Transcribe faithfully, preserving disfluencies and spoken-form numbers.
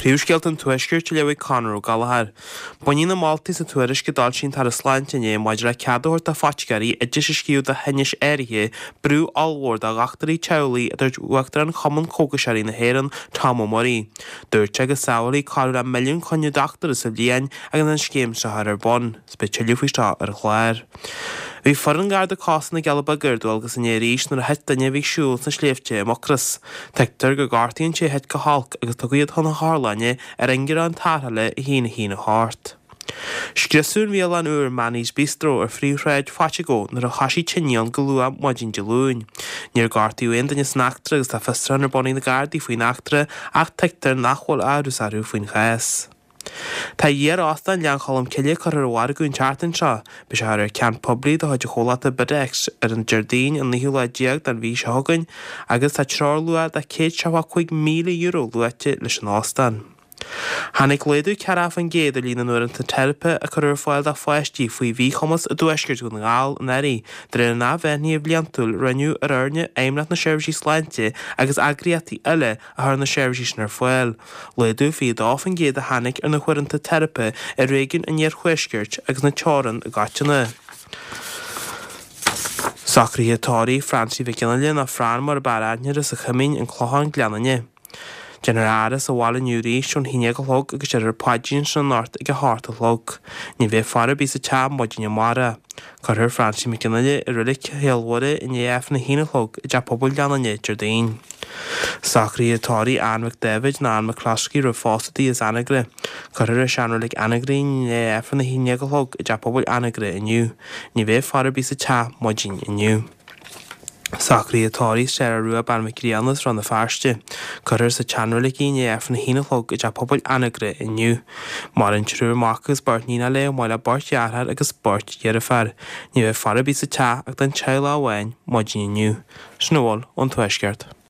Príomhscéalta an Tuaiscirt á léamh ag Conor Ó Gallchóir. Baineann na moltaí sa tuairisc a d'fhoilsigh an tAire Sláinte inné maidir le cead a thabhairt do phoiticéirí oidis a scríobh do thinnis áirithe brú ollmhór do dhochtúirí teaghlaigh, a dúirt Uachtarán Chumann Cógaiseoirí na hÉireann, Tom Ó Muirí. Dúirt sé go sábhálfaí corradh le milliún coinne dochtúra sa bhliain agus an scéim seo á chur ar bun. Is beidh tuilleadh faoi seo ar an chlár. Bhí foireann Garda Cósta na gCealla Beaga ar dualgas inné arís nuair a thit duine a bhí ag siúl sna sléibhte i Mucros. Tuigtear gur gortaíodh an té a thit go holc agus tugadh iad chun na hotharlainne ar ingearán tarrthála a haon a haon a hocht. Scriosadh an bhialann úr Manny's Bistro ar phríomhshráid Phaiteagó nuair a thoisigh tine ann go luath maidin Dé Luain. Níor gortaíodh aon duine san eachtra agus tá fiosrúchán ar bun ag na Gardaí faoin eachtra ach tuigtear nach bhfuil amhras orthu faoin chás. Tá iar-óstán Ghleann Cholm Cille curtha ar an mhargadh an tseachtain seo. Beidh sé á chur ar ceant poiblí de chuid an chomhlachta Bidex ar an Déardaoin an naoú lá déag den mhí seo chugainn agus tá treoirluach de céad seachtó cúig míle euro luaite leis an óstán. Tháinig laghdú ceathracha faoin gcéad ar líon na n-uaireanta teiripe a cuireadh ar fáil do pháistí faoi mhíchumas i dtuaisceart Dhún na nGall anuraidh, de réir an athbhreithnithe bhliantúil a rinneadh ar fhoirne Fheidhmeannacht na Seirbhísí Sláinte agus eagraíochtaí eile a chuir na seirbhísí sin ar fáil. Laghdú fiche dó faoin gcéad a tháinig ar na huaireanta teiripe i réigiún an Iarthuaiscirt agus na Teorann i gcoitinne. Socruithe tórraimh Francie Mhic Fhionnghaile nó Fran mar ab fhearr aithne uirthi sa Choimín, An Clochán, Gleann Fhinne. Déanfar a fhaire sa bhaile inniu arís ón haon déag a chlog agus déarfar paidrín ansin anocht ag a hocht a chlog. Ní bheidh faire ar bith sa teach maidin amárach. Cuirfear Francie Mhic Fhionnghaile i Reilig Chéill Mhuire i ndiaidh Aifreann a haon a chlog i dTeach Pobail Ghleann Fhinne, Déardaoin. Socruithe tórraimh Ann Mhic Dáibhid nó Ann McCloskey roimh phósadh di as Anagaire. Cuirfear i seanreilig Anagaire í i ndiaidh Aifreann a haon déag a chlog i dTeach Pobail Anagaire inniu. Ní bheidh faire ar bith sa teach maidin inniu. Socruithe tórraimh Sarah Rua Bean Mhic Grianna as Rann na Feirste. Cuirfear sa tseanreilig í i ndiaidh Aifreann a haon a chlog i dTeach Pobail Anagaire inniu. Maireann triúr mac agus beirt níonacha léi chomh maith le beirt dheartháir agus beirt dheirféar. Ní bheidh faire ar bith sa teach ach don teaghlach amháin maidin inniu. Sin a bhfuil ón Tuaisceart.